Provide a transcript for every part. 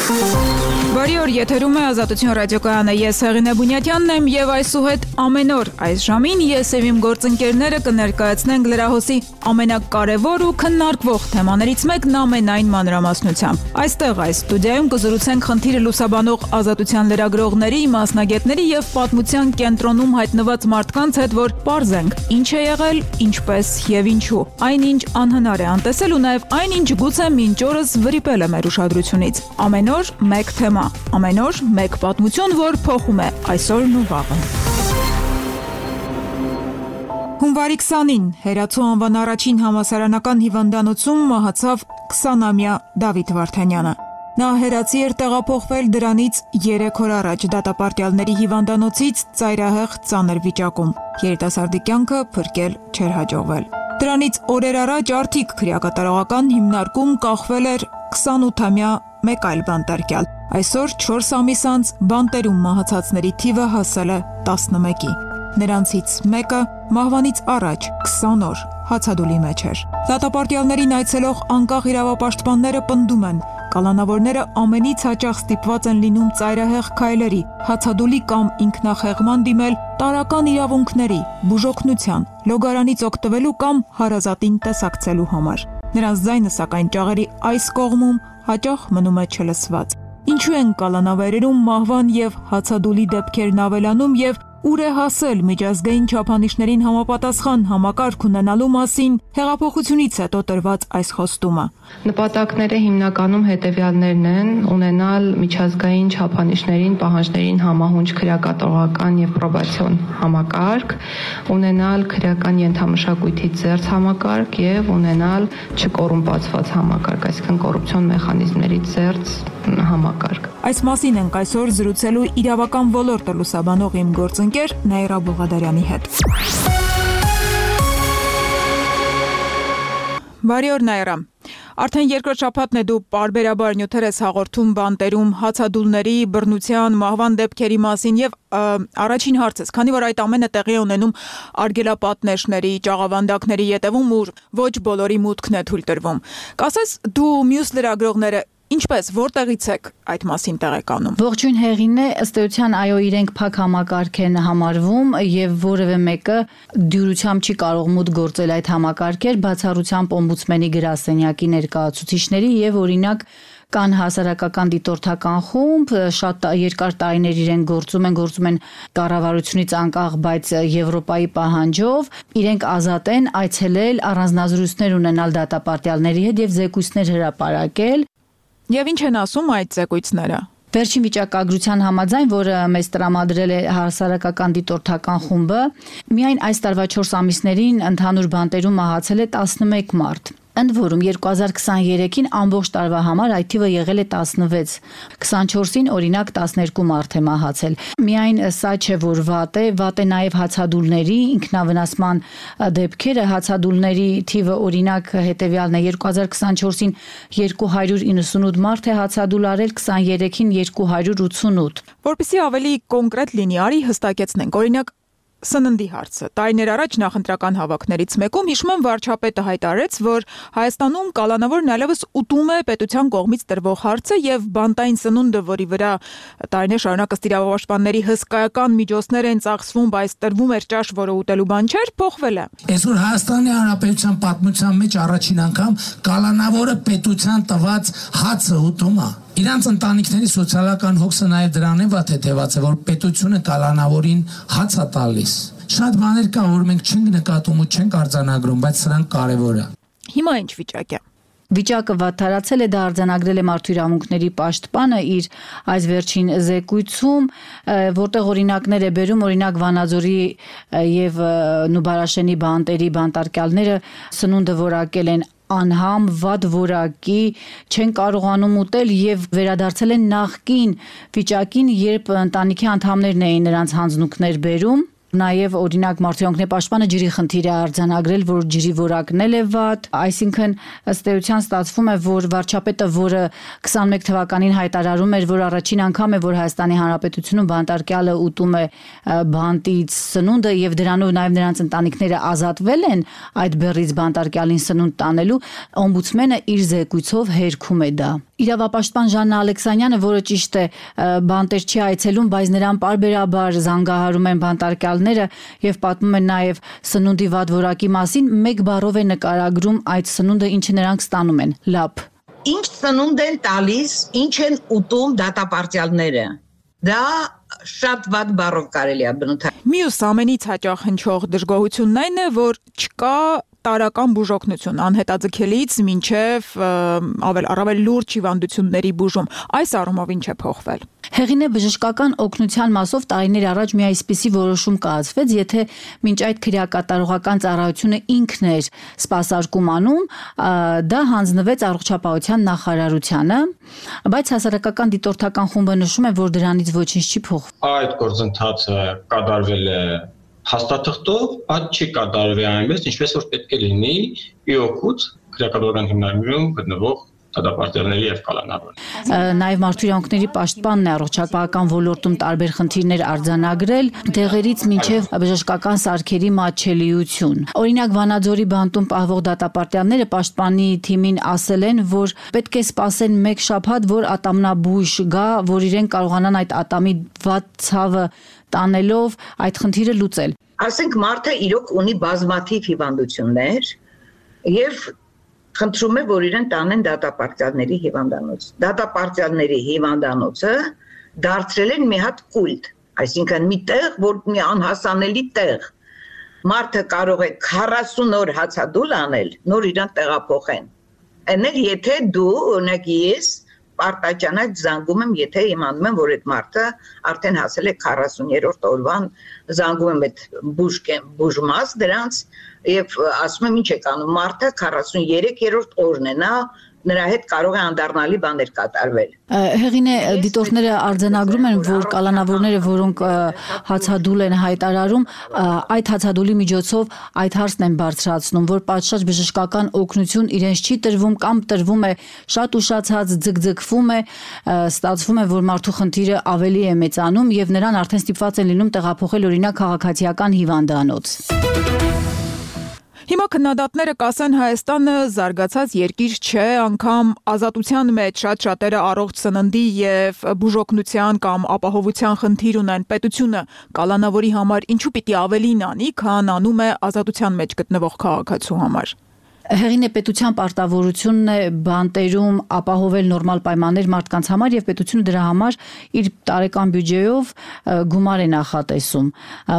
Բարի օր, եթերում է Ազատություն ռադիոկայանը, ես Հեղինե Բունյատյանն եմ եւ այսուհետ ամեն օր այս ժամին ես եւ իմ գործընկերները կներկայացնենք լրահոսի ամենակարևոր ու քննարկվող թեմաներից մեկն ամենայն մանրամասնությամբ։ Այստեղ այս ստուդիայում կզրուցենք խնդիրը լուսաբանող ազատության լրագրողների, մասնագետների եւ պատմության կենտրոնում հայտնված մարդկանց հետ, որ պարզենք ինչ է եղել, ինչպես եւ ինչու։ Այնինչ անհնար է անտեսել ու նաեւ այնինչ գուցե մինչ օրս վրիպել է մեր ուշադրությունից։ Ամեն օր մեկ թեմա, ամեն օր մեկ պատմություն, որ փոխում է այսօրն ու վաղը։ Հունվարի 20-ին Հերացու անվան առաջին համալսարանական հիվանդանոցում մահացավ 20-ամյա Դավիթ Վարդանյանը։ Նա հերացի էր տեղափոխվել դրանից 3 օր առաջ դատապարտյալների հիվանդանոցից ծայրահեղ ծանր վիճակում։ Երիտասարդի կյանքը փրկել չէր հաջողվել։ Դրանից օրեր առաջ արդիկ քրեակատարողական հիմնարկում կախվել էր 28-ամյա մեկ այլ բանտարկյալ։ Այսօր 4 ամիս անց բանտերում մահացածների թիվը հասել է 11-ի։ Նրանցից մեկը մահվանից առաջ 20 օր հացադուլի մեջ էր։ Դատապարտյալներին այցելող անկախ իրավապաշտպանները պնդում են, կալանավորները ամենից հաճախ ստիպված են լինում ծայրահեղ քայլերի, հացադուլի կամ ինքնախեղման դիմել տարրական իրավունքների, բուժօգնության, լոգարանից օգտվելու կամ հարազատին տեսակցելու համար։ Նրանց ձայնը սակայն ճաղերի այս կողմում հաճախ մնում է չլսված։ Ինչու են կալանավերերում մահվան եւ հացադուլի դեպքերն ավելանում եւ ուր է հասել միջազգային չափանիշներին համապատասխան համակարգ ունենալու մասին հեղափոխությունից հետո տրված այս խոստումը։ Նպատակները հիմնականում հետևյալներն են՝ ունենալ միջազգային չափանիշներին, պահանջներին համահունչ քրեակատարողական եւ պրոբացիոն համակարգ, ունենալ քրեական ենթամշակույթի ծերծ համակարգ եւ ունենալ չկոռումպացված համակարգ, այսինքն կոռուպցիոն մեխանիզմների ծերծ համակարգ։ Այս մասին ենք այսօր զրուցելու իրավական ոլորտը լուսաբանող իմ գործընկեր Նաիրա Բողադարյանի հետ։ Բարի օր Նաիրա։ Արդեն երկրորդ շաբաթն է դու պարբերաբար նյութեր ես հաղորդում բանտերում հացադուլների, բռնության, մահվան դեպքերի մասին եւ առաջին հարցս, քանի որ այդ ամենը տեղի է ունենում արգելապատնեշների, ճաղավանդակների ետևում, ուր ոչ բոլորի մուտքն է թույլ տրվում։ Կասես դու մյուս լրագրողները ինչպես, որտեղից եք այդ մասին տեղեկանում։ Ողջույն Հեղինե, ըստ էության այո, իրենք փակ համակարգ են համարվում եւ որևէ մեկը դյուրությամբ չի կարող մուտք գործել այդ համակարգեր, բացառությամբ օմբուդսմենի գրասենյակի ներկայացուցիչների եւ օրինակ կան հասարակական դիտորդական խումբ, շատ երկար տարիներ իրենք գործում են կառավարությունից անկախ, բայց Եվրոպայի պահանջով, իրենք ազատ են այցելել, առանձնազրույցներ ունենալ դատապարտյալների հետ եւ զեկույցներ հրապարակել։ Եվ ինչ են ասում այդ զեկույցները։ Վերջին վիճակագրության համաձայն, որը մեզ տրամադրել է հասարակական դիտորդական խումբը, միայն այս տարվա 4 ամիսներին ընդհանուր բանտերում մահացել է 11 մարդ։ Ընդ որում 2023-ին ամբողջ տարվա համար այդ թիվը եղել է 16, 24-ին օրինակ 12 մարդ է մահացել։ Միայն սա չէ, որ վատ է նաև հացադուլների ինքնավնասման դեպքերը, հացադուլների թիվը օրինակ հետևյալն է 2024-ին 298 մարդ է հացադուլ արել, 23-ին 288։ Որպեսզի ավելի կոնկրետ լինի, արի հստակեցնենք, օրինակ սննդի հարցը։ Տարիներ առաջ նախընտրական հավաքներից մեկում հիշում եմ վարչապետը հայտարարեց, որ Հայաստանում կալանավորն այլևս ուտում է պետության կողմից տրվող հարցը եւ բանտային սնունդը, որի վրա տարիներ շարունակ ըստ իրավապաշտպանների հսկայական միջոցներ են ծախսվում, բայց տրվում էր ճաշ, որը ուտելու բան չէր, փոխվել է։ Այսօր Հայաստանի Հանրապետության պատմության մեջ առաջին անգամ կալանավորը պետության տված հացը ուտում է։ Իրանց ընտանիքների սոցիալական հոգսը նաև դրան է հետևած է, որ պետությունը կալանավորին հաց է տալիս։ Շատ բաներ կա, որ մենք չենք նկատում ու չենք արձանագրում, բայց սրանք կարևոր է։ Հիմա ինչ վիճակ է։ Վիճակը վատթարացել է, դա արձանագրել է Մարդու իրավունքների պաշտպանը իր այս վերջին զեկույցում, որտեղ օրինակներ է բերում, օրինակ Վանաձորի եւ Նուբարաշենի բանտերի բանտարկյալները սնունդը որակել են անհամ, վատ որակի, չեն կարողանում ուտել եւ վերադարձել են նախկին վիճակին, երբ ընտանիքի անդամներն էին նրանց հանձնուկներ բերում։ Նաև օրինակ Մարդույանքների պաշտպանը ջրի խնդիր է արձանագրել, որ ջրի որակն է վատ, այսինքն ըստ էության ստացվում է, որ վարչապետը, որը 21 թվականին հայտարարում էր, որ առաջին անգամ է, որ Հայաստանի Հանրապետությունում բանտարկյալը ուտում է բանտից սնունդը եւ դրանով նաև նրանց ընտանիքները ազատվել են այդ բեռից բանտարկյալին սնունդ տանելու, օմբուդսմենը իր զեկույցով հերքում է դա։ Իրավապաշտպան Ժաննա Ալեքսանյանը, որը ճիշտ է բանտեր չի այցելում, բայց նրան պարբերաբար զանգահարում են բանտարկյալները եւ պատմում են նաեւ սնունդի վատ որակի մասին, մեկ բառով է նկարագրում այդ սնունդը, ինչը նրանք ստանում են՝ լապ։ Ինչ սնունդ են տալիս, ինչ են ուտում դատապարտյալները։ Դա շատ վատ բառով կարելի է բնութագրել։ Մյուս ամենից հաճախ հնչող դժգոհությունն այն է, որ չկա տարական բուժօգնություն անհետաձգելից մինչև առավել լուրջ հիվանդությունների բուժում։ Այս առումով ինչ է փոխվել։ Հեղինե բժշկական օգնության մասով տարիներ առաջ մի այսպիսի որոշում կայացվեց, եթե մինչ այդ քրեակատարողական ծառայությունը ինքն էր սպասարկում անում, դա հանձնվեց առողջապահության նախարարությանը, բայց հասարակական դիտորդական խումբը նշում է, որ դրանից ոչինչ չի փոխվել։ Այդ գործընթացը կատարվել է հաստատղթով, այդ չի կատարվի այնպես, ինչպես որ պետք է լինի ի օգուտ քրեակատարողական հիմնադրամում գտնվող դատապարտյալների եւ կալանավորների։ Նաեւ Մարդույանքների պաշտպանն է առողջապահական ոլորտում տարբեր խնդիրներ արձանագրել, դեղերից մինչև բժշկական սարքերի մատչելիություն։ Օրինակ Վանաձորի բանտում պահվող դատապարտյալները պաշտպանի թիմին ասել են, որ պետք է սպասեն 1 շաբաթ, որ ատամնաբույժ գա, որ իրեն կարողանան այդ ատամի վատ ցավը տանելով այդ խնդիրը լուծել։ Ասենք մարդը իրոք ունի բազմաթիվ հիվանդություններ եւ խնդրում է, որ իրեն տանեն դատապարտյալների հիվանդանոց։ Դատապարտյալների հիվանդանոցը դարձրել են մի հատ կուլտ, այսինքն մի տեղ, որ մի անհասանելի տեղ։ Մարդը կարող է 40 օր հացադուլ անել, նոր իրան տեղափոխեն։ Էնել եթե դու, օրինակ ես Պարտաճանակ զանգում եմ, եթե իմանում եմ, որ այդ մարդը արդեն հասել է 40-րդ օրվան, զանգում եմ այդ բուժմաս դրանց եւ ասում եմ ինչ եք անում, մարդը 43-րդ օրն է, նրա հետ կարող է անդառնալի բաներ կատարվել։ Հեղինե դիտորդները արձանագրում են, որ կալանավորները, որոնք հացադուլ են հայտարարում, այդ հացադուլի միջոցով այդ հարցն են բարձրացնում, որ պատշաճ բժշկական օգնություն իրենց չի տրվում կամ տրվում է շատ ուշացած, ձգձգվում է, ստացվում է, որ մարդու խնդիրը ավելի է մեծանում եւ նրան արդեն ստիպված են լինում տեղափոխել օրինակ քաղաքացիական հիվանդանոց։ Հիմա քննադատները կասեն Հայաստանը զարգացած երկիր չէ, անգամ ազատության մեջ շատ-շատերը առողջ սննդի եւ բուժօգնության կամ ապահովության խնդիր ունեն։ Պետությունը կալանավորի համար ինչու պիտի ավելին անի, քան անում է ազատության մեջ գտնվող քաղաքացու համար։ Հեղինե պետության պարտավորությունն է բանտերում ապահովել նորմալ պայմաններ մարդկանց համար եւ պետությունը դրա համար իր տարեկան բյուջեով գումար է նախատեսում,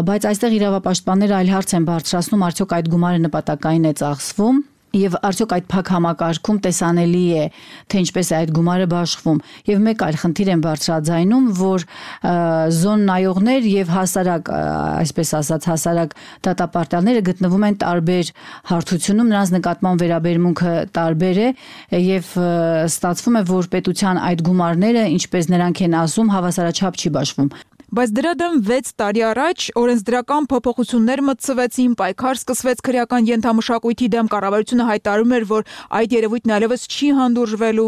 բայց այստեղ իրավապաշտպանները այլ հարց են բարձրացնում, արդյոք այդ գումարը նպատակային է ծախսվում եւ արդյոք այդ փակ համակարգում տեսանելի է, թե ինչպես է այդ գումարը բաշխվում։ Եվ մեկ այլ խնդիր են բարձրաձայնում, որ զոն նայողներ եւ հասարակ, այսպես ասած, հասարակ դատապարտյալները գտնվում են տարբեր հարթությունում, նրանց նկատմամբ վերաբերմունքը տարբեր է եւ ստացվում է, որ պետության այդ գումարները, ինչպես նրանք են ասում, հավասարաչափ չի բաշխվում։ Բայց դրա դեմ 6 տարի առաջ օրենսդրական փոփոխություններ մտցվեցին, պայքար սկսվեց քրեական ենթամշակույթի դեմ, կառավարությունը հայտարարում էր, որ այդ երևույթն այլևս չի հանդուրժվելու,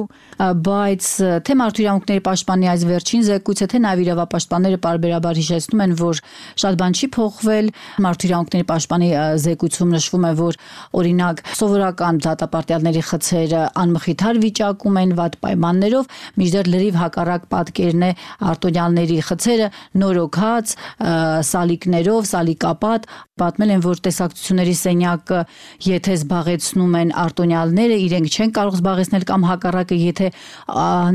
բայց թե Մարդույանքների պաշտպանի այս վերջին զեկույցը, թե նաև իրավապաշտպանները պարբերաբար հիշեցնում են, որ շատ բան չի փոխվել։ Մարդույանքների պաշտպանի զեկույցում նշվում է, որ օրինակ սովորական դատապարտյալների խցերը անմխիթար վիճակում են, վատ պայմաններով, մինչդեռ լրիվ հակառակ պատկերն է արտոնյալների խցերը նորոգած սալիկներով, սալիկապատ, պատմել են, որ տեսակցությունների սենյակը եթե զբաղեցնում են արտոնյալները, իրենք չեն կարող զբաղեցնել կամ հակառակը, եթե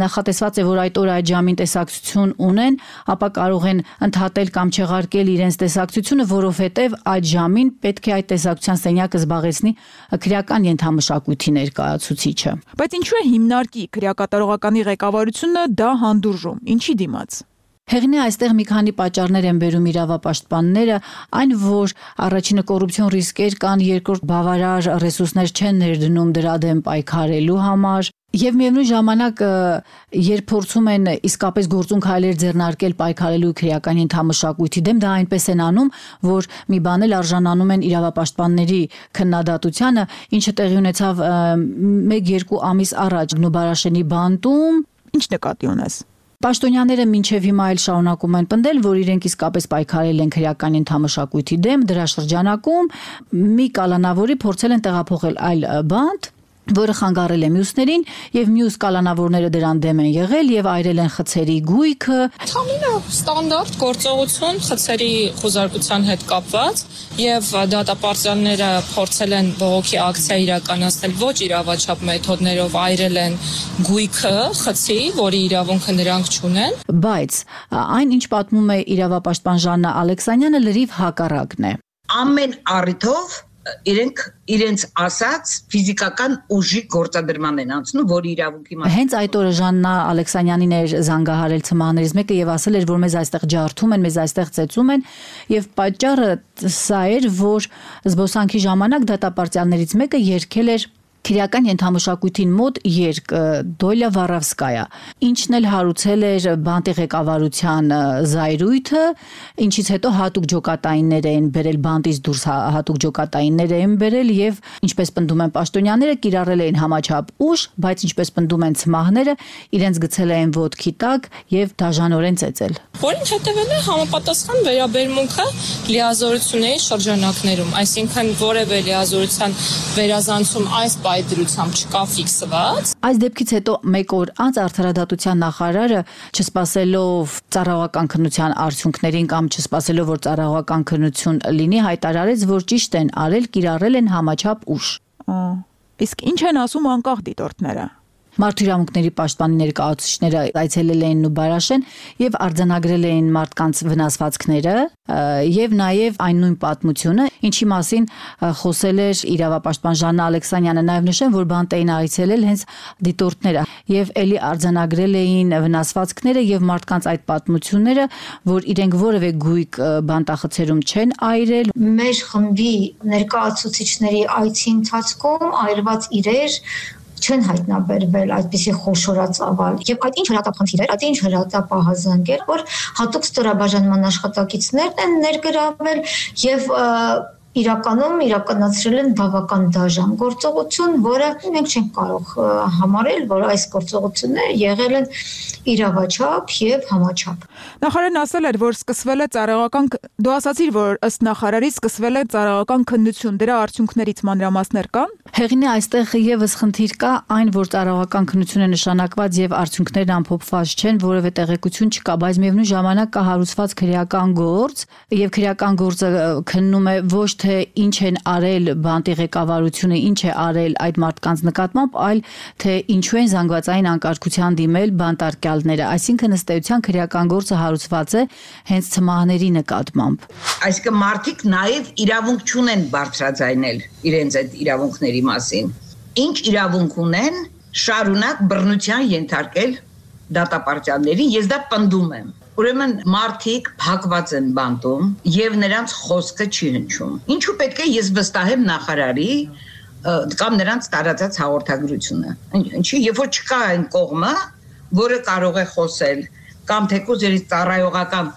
նախատեսված է, որ այդ օրը այդ ժամին տեսակցություն ունեն, ապա կարող են ընդհատել կամ չեղարկել իրենց տեսակցությունը, որովհետև այդ ժամին պետք է այդ տեսակցության սենյակը զբաղեցնի քրեական ենթամշակույթի ներկայացուցիչը։ Բայց ինչու է հիմնարկի քրեակատարողականի ղեկավարությունը դա հանդուրժում, ինչի դիմաց։ Հեղինե այստեղ մի քանի պատճառներ են բերում իրավապաշտպանները, այն որ առաջինը կոռուպցիոն ռիսկեր կան, երկրորդ բավարար ռեսուրսներ չեն ներդնում դրա դեմ պայքարելու համար, Եվ միևնույն ժամանակ, երբ փորձում են իսկապես գործուն քայլեր ձեռնարկել պայքարելու քրեական ենթամշակույթի դեմ, դա այնպես են անում, որ մի բան էլ արժանանում են իրավապաշտպանների քննադատությանը, ինչը տեղի ունեցավ 1-2 ամիս առաջ Նուբարաշենի բանտում։ Ինչ նկատի ունես։ Պաշտոնյաները մինչև հիմա էլ շարունակում են պնդել, որ իրենք իսկապես պայքարել են քրեական ենթամշակույթի դեմ, դրա շրջանակում մի կալանավորի փորձել են տեղափոխել այլ բանտ, որը խանգարել է մյուսներին, եւ մյուս կալանավորները դրան դեմ են եղել եւ այրել են խցերի գույքը։ Համինը ստանդարտ գործողություն խցերի խոզարկության հետ կապված եւ դատապարտյալները փորձել են բողոքի ակցիա իրականացնել ոչ իրավաչափ մեթոդներով, այրել են գույքը խցի, որի իրավունքը նրանք չունեն։ Բայց այն, ինչ պատմում է իրավապաշտպան Ժաննա Ալեքսանյանը, լրիվ հակառակն է։ Ամեն առիթով իրենք իրենց ասած ֆիզիկական ուժի գործադրման են անցնում, որի իրավունքի մասին։ Հենց այդ օրը Ժաննա Ալեքսանյանին էր զանգահարել ցմահներից մեկը եւ ասել էր, որ մեզ այստեղ ջարդում են, մեզ այստեղ ծեծում են, եւ պատճառը սա էր, որ զբոսանքի ժամանակ դատապարտյալներից մեկը երգել էր քրեական ենթամշակույթին մոտ երգ Դոլյա Վարավսկայա, ինչն էլ հարուցել էր բանտի ղեկավարության զայրույթը, ինչից հետո հատուկ ջոկատայիններ են բերել, բանտից դուրս հատուկ ջոկատայիններ են բերել եւ ինչպես պնդում են պաշտոնյաները, կիրառել էին համաչափ ուժ, բայց ինչպես պնդում են ցմահները, իրենց գցել էին ոտքի տակ եւ դաժանորեն ծեծել։ Որին հետևել է համապատասխան վերաբերմունքը լիազորությունների շրջանակներում, այսինքն որևէ լիազորության վերազանցում այս դրությամբ չկա ֆիքսված։ Այս դեպքից հետո 1 օր անց արդարադատության նախարարը, չսպասելով ծառայողական քննության արդյունքներին կամ չսպասելով, որ ծառայողական քննություն լինի, հայտարարեց, որ ճիշտ են արել, կիրառել են համաչափ ուժ։ Իսկ ինչ են ասում անկախ դիտորդները։ Մարդու իրավունքների պաշտպանի ներկայացուցիչները այցելել էին Նուբարաշեն եւ արձանագրել էին մարդկանց վնասվածքները եւ նաեւ այն նույն պատմությունը, ինչի մասին խոսել էր իրավապաշտպան Ժաննա Ալեքսանյանը, նաեւ նշեն, որ բանտ էին այցելել հենց դիտորդները եւ ելի արձանագրել էին վնասվածքները եւ մարդկանց այդ պատմությունները, որ իրենք որևէ գույք բանտախցերում չեն այրել։ Մեր խմբի ներկայացուցիչների այցի ընթացքում այրված իրեր չեն հայտնաբերվել այդպիսի խոշորածավալ եւ այդ ինչ հրատապխնդիր էր, այդ ինչ հրատապահազանգ էր, որ հատուկ ստորաբաժանման աշխատակիցներն են ներգրավել եւ իրականում իրականացրել են բավական դաժան գործողություն, որը մենք չենք կարող համարել, որ այս գործողությունները եղել են իրավաչափ եւ համաչափ։ Նախարարն ասել էր, որ սկսվել է ծառայողական, դու ասացիր, որ ըստ նախարարի սկսվել է ծառայողական քննություն, դրա արդյունքներից մանրամասներ կան։ Հեղինե այստեղ եւս խնդիր կա, այն որ ծառայողական քննություն է նշանակված եւ արդյունքներն ամփոփված չեն, որևէ տեղեկություն չկա, բայց միևնույն ժամանակ կա հարուցված քրեական գործ եւ քրեական գործը քննում է ոչ թե ինչ են արել բանտի ղեկավարությունը, ինչ է արել այդ մարդկանց նկատմամբ, այլ թե ինչու են զանգվածային անկարգության դիմել բանտարկյալները, այսինքն ըստ էության քրեական գործը հարուցված է հենց ցմահների նկատմամբ։ Այսինքն մարդիկ նաեւ իրավունք չունեն բարձրաձայնել իրենց այդ իրավունքների մասին։ Ինչ իրավունք ունեն շարունակ բռնության ենթարկել դատապարտյալներին, ես դա պնդում եմ։ Ուրեմն մարդիկ փակված են բանտում եւ նրանց խոսքը չի հնչում։ Ինչու պետք է ես վստահեմ նախարարի կամ նրանց տարածած հաղորդագրությունը։ Ինչի, երբ որ չկա այն կողմը, որը կարող է խոսել, կամ թեկուզ երից ծառայողական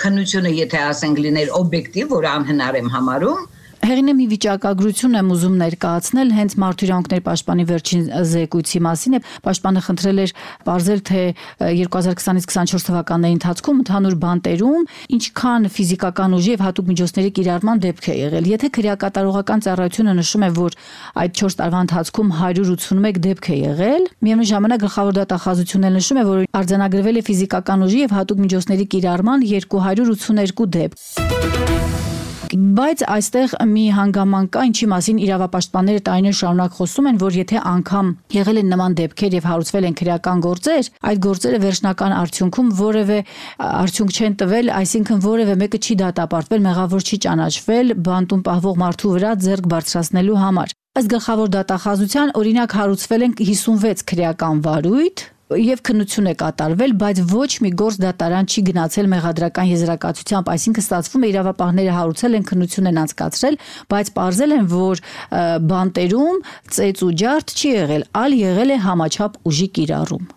քննությունը, եթե ասենք լիներ օբյեկտիվ, որը անհնար եմ համարում, Հեղինե մի վիճակագրություն եմ ուզում ներկայացնել հենց Մարդու իրավունքների պաշտպանի վերջին զեկույցի մասին։ Պաշտպանը խնդրել էր բարձել, թե 2020-ից 24 թվականների ընթացքում ընդհանուր բանտերում ինչքան ֆիզիկական ուժի եւ հատուկ միջոցների կիրառման դեպք է եղել։ Եթե քրեակատարողական ծառայությունը նշում է, որ այդ 4 տարվա ընթացքում 181 դեպք է եղել, միևնույն ժամանակ գլխավոր դատախազությունն էլ նշում է, որ արձանագրվել է ֆիզիկական ուժի եւ հատուկ միջոցների կիրառման 282 դեպք։ Բայց այստեղ մի հանգամանք կա, ինչի մասին իրավապաշտպանները տարիներ շարունակ խոսում են, որ եթե անգամ եղել են նման դեպքեր եւ հարուցվել են քրեական գործեր, այդ գործերը վերջնական արդյունքում որևէ արդյունք չեն տվել, այսինքն որևէ մեկը չի դատապարտվել, մեղավոր չի ճանաչվել բանտում պահվող մարդու վրա ձեռք բարձրացնելու համար։ Ըստ գլխավոր դատախազության օրինակ հարուցվել են 56 քրեական վարույթ, եւ քննություն է կատարվել, բայց ոչ մի գործ դատարան չի գնացել մեղադրական եզրակացությամբ, այսինքն ստացվում է իրավապահները հարուցել են, քննություն են անցկացրել, բայց պարզել են, որ բանտերում ծեծ ու ջարդ չի եղել, այլ եղել է համաչափ ուժի կիրառում։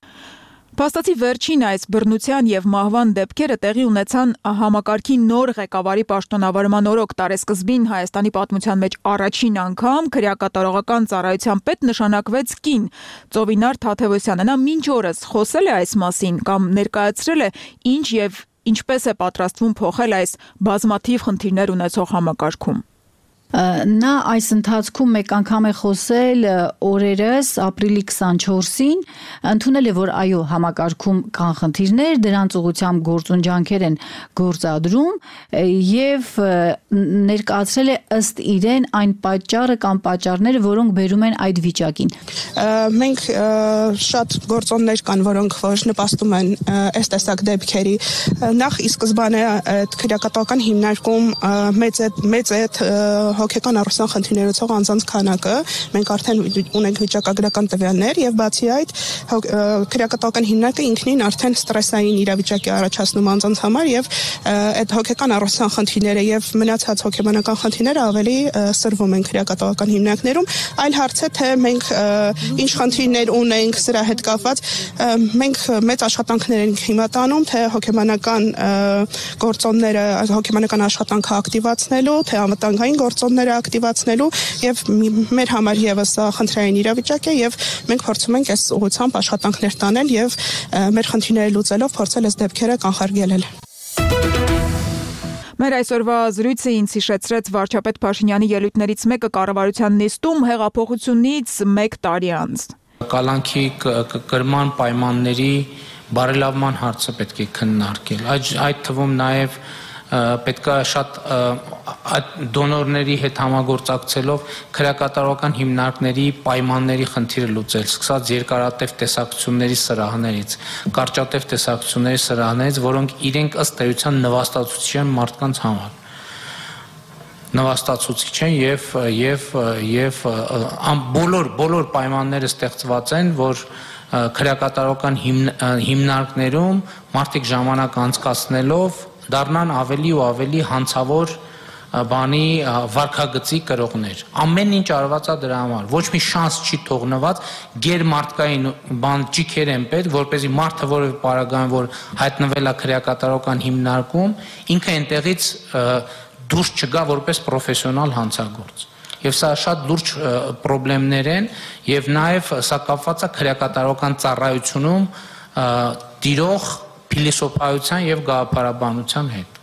Փաստացի վերջին այս բռնության եւ մահվան դեպքերը տեղի ունեցան համակարգի նոր ղեկավարի պաշտոնավարման օրոք տարեսկզբին Հայաստանի պատմության մեջ առաջին անգամ քրեակատարողական ծառայության պետ նշանակվեց կին Ծովինար Թաթևոսյանը։ Նա մինչ օրս խոսել է այս մասին կամ ներկայացրել է ինչ եւ ինչպես է պատրաստվում փոխել այս բազմաթիվ խնդիրներ ունեցող համակարգում։ Նա այս ընթացքում մեկ անգամ է խոսել օրերս ապրիլի 24-ին, ընդունել է, որ այո, համակարգում կան խնդիրներ, դրանց ուղղությամբ գործուն ջանքեր են գործադրում եւ ներկայացրել է ըստ իրեն այն պատճառը կամ պատճառները, որոնք բերում են այդ վիճակին։ Մենք շատ գործոններ կան, որոնք որ նպաստում են այս տեսակ դեպքերի։ Նախ ի սկզբանե այդ քրեակատարական հիմնարկում մեծ է հոգեկան առողջության խնդիրներով անձանց քանակը, մենք արդեն ունենք վիճակագրական տվյալներ եւ բացի այդ քրեակատարական հիմնարկը ինքնին արդեն ստրեսային իրավիճակ է առաջացնում անձանց համար եւ այդ հոգեկան առողջության խնդիրները եւ մնացած հոգեբանական խնդիրները ավելի սրվում են քրեակատարական հիմնարկներում, այլ հարց է թե մենք ինչ խնդիրներ ունենք սրա հետ կապված, մենք մեծ աշխատանքներ ենք հիմա տանում, թե հոգեբանական գործոնները, հոգեբանական աշխատանքը ակտիվացնելու, թե անվտանգային գործոնները ակտիվացնելու եւ մեր համար եւս խնդրային իրավիճակ է եւ մենք փորձում ենք այս ուղղությամբ աշխատանքներ տանել եւ մեր խնդիրները լուծելով փորձել այս դեպքերը կանխարգելել։ Մեր այսօրվա զրույցը ինձ հիշեցրեց վարչապետ Փաշինյանի ելույթներից մեկը կառավարության նիստում հեղափոխությունից 1 տարի անց։ Կալանքի կրման պայմանների բարելավման հարցը պետք է քննարկել։ Այդ թվում նաև պետք է շատ դոնորների հետ համագործակցելով քրեակատարողական հիմնարկների պայմանների խնդիրը լուծել, սկսած երկարատև տեսակցությունների սրահներից, կարճատև տեսակցությունների սրահներից, որոնք իրենք ըստ էության նվաստացուցիչ են մարդկանց համար։ Նվաստացուցիչ են եւ բոլոր պայմանները ստեղծված են, որ քրեակատարողական հիմնարկներում մարդիկ ժամանակ անցկացնելով դառնան ավելի ու ավելի հանցավոր բանի վարքագծի կրողներ։ Ամեն ինչ արված է դրա համար։ Ոչ մի շանս չի թողնված, գերմարտկային ճիքեր են պետք, որպեսզի մարդը որևէ պարագայում, որ հայտնվել է քրեակատարողական հիմնարկում, ինքը այնտեղից դուրս չգա որպես պրոֆեսիոնալ հանցագործ։ Եվ սա շատ լուրջ խնդիրներ են, եւ նաեւ սա կապված է քրեակատարողական ծառայությունում տիրող փիլիսոփայության եւ գաղափարաբանության հետ։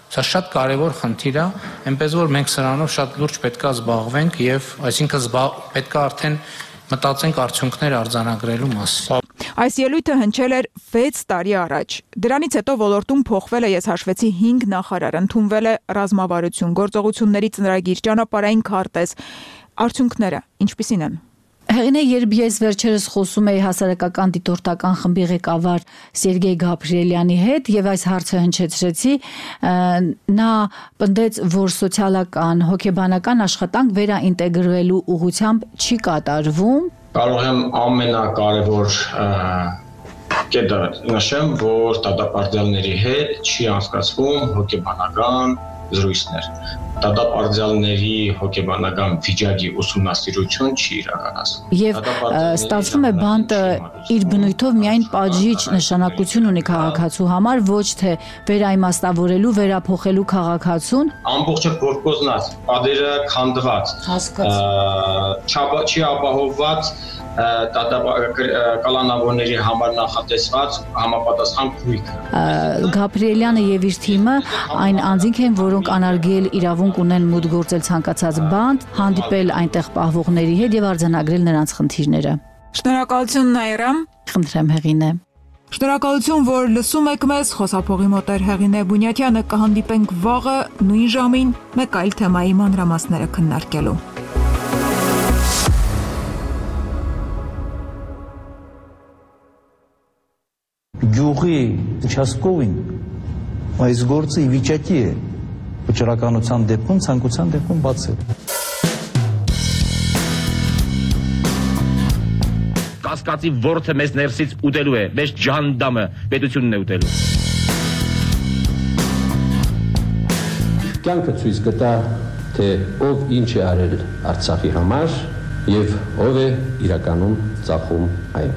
Սա շատ կարևոր խնդիր է, այնպես որ մենք սրանով շատ լուրջ պետք է զբաղվենք եւ այսինքն պետք է արդեն մտածենք արդյունքներ արձանագրելու մասին։ Այս ելույթը հնչել էր 6 տարի առաջ։ Դրանից հետո ոլորտում փոխվել է, ես հաշվեցի 5 նախարար, ընդունվել է ռազմավարություն, գործողությունների ծրագիր, ճանապարհային քարտեզ։ Արդյունքները ինչպիսին են։ Հեղինե, երբ ես վերջերս խոսում էի հասարակական դիտորդական խմբի ղեկավար Սերգեյ Գաբրիելյանի հետ եւ այս հարցը հնչեցրեցի, նա պնդեց, որ սոցիալական, հոգեբանական աշխատանք վերաինտեգրվելու ուղղությամբ չի կատարվում։ Կարող եմ ամենակարևոր կետը նշեմ, որ դատապարտյալների հետ չի անցկացվում հոգեբանական զրույցներ։ Դատապարտյալների հոգեբանական վիճակի ուսումնասիրություն չի իրականացվում։ Եվ ստացվում է բանտը իր բնույթով միայն պատժիչ նշանակություն ունի քաղաքացու համար, ոչ թե վերաիմաստավորելու, վերափոխելու քաղաքացուն։ Ամբողջը գործնած, պատերը քանդված, չի ապահովված կալանավորների համար նախատեսված համապատասխան քույք։ Գաբրիելյանը եւ իր թիմը այն անձինք են, որոնք անարգել իրավունք ունեն մուտք գործել ցանկացած բանտ, հանդիպել այնտեղ պահվողների հետ եւ արձանագրել նրանց խնդիրները։ Շնորհակալություն Նաիրա։ Խնդրեմ Հեղինե։ Շնորհակալություն, որ լսում եք մեզ, խոսափողի մոտ էր Հեղինե Բունյաթյանը, կհանդիպենք վաղը նույն ժամին մեկ այլ թեմայի մանրամասները քննարկելու։ Գյուղի участковին այս գործը ի վիճակի է վճռականության դեպքում, ցանկության դեպքում բացել։ կասկածի ворթը մեզ ներսից ուտելու է, մեզ ջհանդամը պետությունն է ուտելու։ Կյանքը ցույց կտա, թե ով ինչ է արել Արցախի համար եւ ով է իրականում ծախում այն։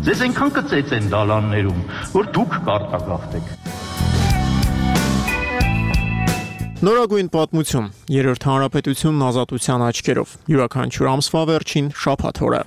Ձեզ այնքան կծեց են դալաններում, որ դուք կարտագաղթեք։ Նորագույն պատմություն, երրորդ հանրապետությունն ազատության աչքերով, յուրաքանչյուր ամսվա վերջին շաբաթ օրը։